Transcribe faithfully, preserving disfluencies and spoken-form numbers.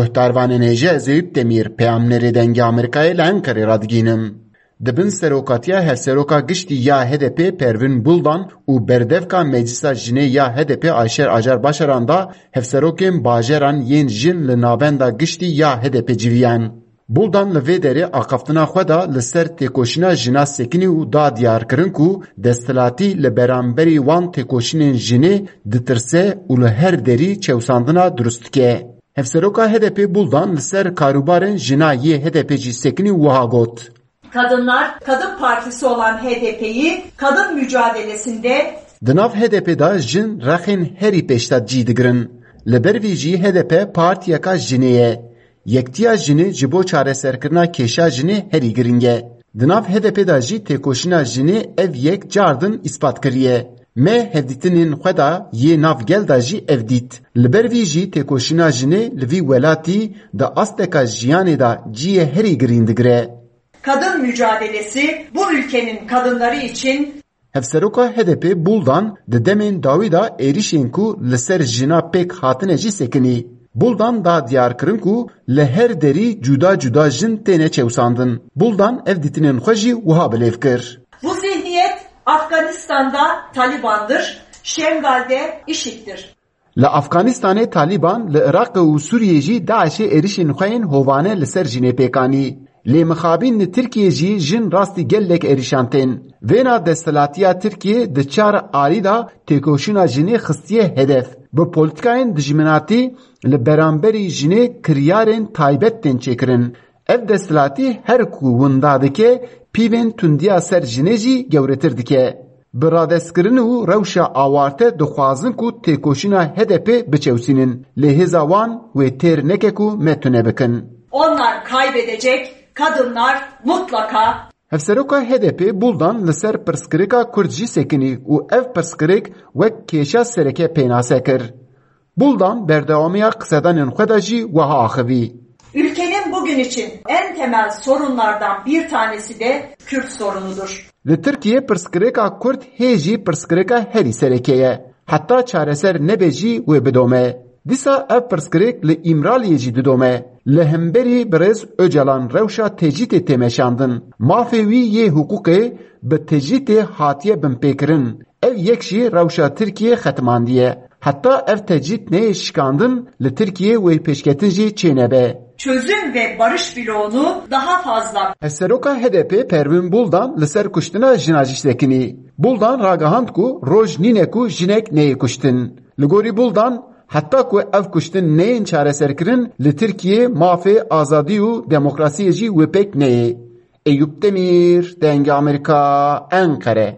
Guhdarvanên hêja, ez Eyûp Demîr, peyamnerê Dengê Amerîkayê li Enqerê radigihînim. Di bin serokatiya hevseroka giştî ya H D P Pervin Buldan û berdevka Meclisa Jinê ya H D P Ayşer Acar Başaran de hevserokên bajaran yên jin li navenda giştî ya H D P civiyan. Buldan li vê derê axaftina xwe de li ser têkoşîna jina sekinî û da diyarkirin ku desthilatî li beramberî wan têkoşînên jinê ditirse û li her derî çewsandina durust dike. Hevseroka H D P Buldan li ser karûbarên jina yê H D P jî sekinî û wiha got. Kadınlar, Kadın Partisi olan H D P'yi kadın mücadelesinde Di nav H D P de jin rexên herî pêşda cî digirin. Li ber vî jî H D P partiyeka jinê ye. Yektiya jinê ji bo çareserkirina kêşa jinê herî giring e. Di nav H D P de jî têkoşîna jinê ev yek cardin îspat kiriye. Me hevdîtinên xwe de yê nav gel de jî ev dît. Li ber vî jî têkoşîna jinê li vî welatî di asteka jiyanê de cihê herî girîn digire. Kadın mücadelesi bu ülkenin kadınları için Hevseroka H D P Buldan di demên dawî de êrişên ku li ser jina pêk hatine jî sekinî. Buldan da diyar kirin ku li her derî cuda cuda jin têne çewsandin. Buldan ev dîtinên xwe jî wiha bilêv kir. Bu zihniyet Afganistan'da Taliban'dır, Şengal'de IŞİD'dir. Li Afganistanê Talîban, li Iraqê û Sûriyê jî DAIŞê êrişên xwe yên hovane li ser jinê pêk anî. Lê mixabin li Tirkiyê jî jin rastî gelek êrişan tên. Vêna desthilatiya Tirkiyê di çar alî de têkoşîna jinê xistiye hedef. Bi polîtikayên dijminatî li beramberî jinê kiryarên taybet tên çêkirin. Ev desthilatî her ku winda dike, pîvên tundiya ser jinê jî gewretir dike. Bi radestkirin û rewşa awarte dixwazin ku têkoşîna H D P biçewsînin. Lê hêza wan wê têr neke ku me tune bikin. Onlar kaybedecek, kadınlar mutlaka Hevseroka H D P Buldan li ser pirsgirêka Kurd jî sekinî û ev pirsgirêk wek kêşa sereke pênase kir. Buldan berdewamiya qisedanên xwe de jî wiha axivî. Ülkenin bugün için en temel sorunlardan bir tanesi de Kürt sorunudur. Li Tirkiyê pirsgirêka Kurd hê jî pirsgirêka herî sereke ye. Heta çareser nebe jî wê bidome. Dîsa ev pirsgirêk li Îmraliyê jî didome. Li hemberî birêz Ocalan rewşa tecrîtê tê meşandin. Mafê wî yê hiqûqê bi tecrîtê hatiye binpêkirin. Ev yek jî rewşa Tirkiyê xetimandiye. Heta ev tecrît neyê şikandin, li Tirkiyê wê pêşketin jî çênebe. Çözüm ve barış bloğunu daha fazla Hevseroka H D P Pervin Buldan li ser kuştina jina jî sekinî. Buldan ragihand ku roj nîne ku jinek neyê kuştin. Li gorî Buldan, heta ku ev kuştin neyên çareserkirin, li Tirkiyê mafê, azadî û demokrasiyê jî wê pêk neyê. Eyûp Demîr, Dengê Amerîka, Enqere.